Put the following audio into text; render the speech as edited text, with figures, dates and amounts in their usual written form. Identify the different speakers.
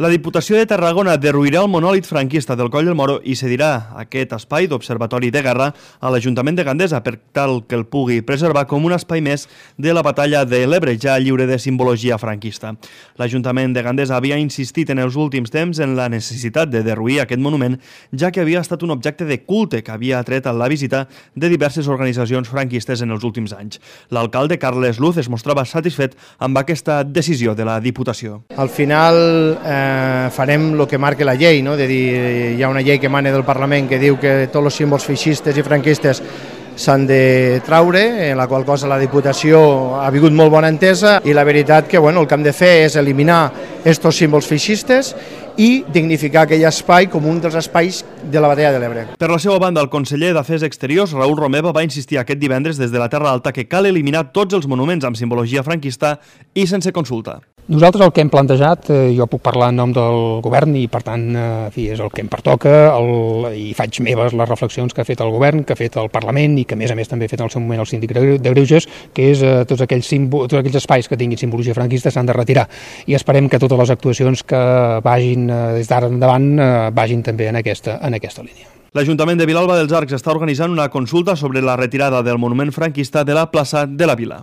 Speaker 1: La Diputació de Tarragona derruirà el monòlit franquista del Coll del Moro i cedirà aquest espai d'observatori de guerra a l'Ajuntament de Gandesa per tal que el pugui preservar com un espai més de la batalla de l'Ebre, ja lliure de simbologia franquista. L'Ajuntament de Gandesa havia insistit en els últims temps en la necessitat de derruir aquest monument, ja que havia estat un objecte de culte que havia atret a la visita de diverses organitzacions franquistes en els últims anys. L'alcalde Carles Luz es mostrava satisfet amb aquesta decisió de la Diputació.
Speaker 2: Al final farem el que marca la llei, no? De dir, hi ha una llei que emana del Parlament que diu que tots els símbols feixistes i franquistes s'han de traure, en la qual cosa la Diputació ha vingut molt bona entesa i la veritat que el que hem de fer és eliminar aquests símbols feixistes i dignificar aquell espai com un dels espais de la batalla de l'Ebre.
Speaker 1: Per la seva banda, el conseller d'Afers Exteriors, Raül Romeva, va insistir aquest divendres des de la Terra Alta que cal eliminar tots els monuments amb simbologia franquista i sense consulta.
Speaker 3: Nosaltres el que hem plantejat, jo puc parlar en nom del govern i per tant és el que em pertoca i faig meves les reflexions que ha fet el govern, que ha fet el Parlament i que a més també ha fet en el seu moment el síndic de Greuges, que és tots aquells espais que tinguin simbologia franquista s'han de retirar i esperem que totes les actuacions que vagin des d'ara endavant vagin també en aquesta línia.
Speaker 1: L'Ajuntament de Vilalba dels Arcs està organitzant una consulta sobre la retirada del monument franquista de la plaça de la Vila.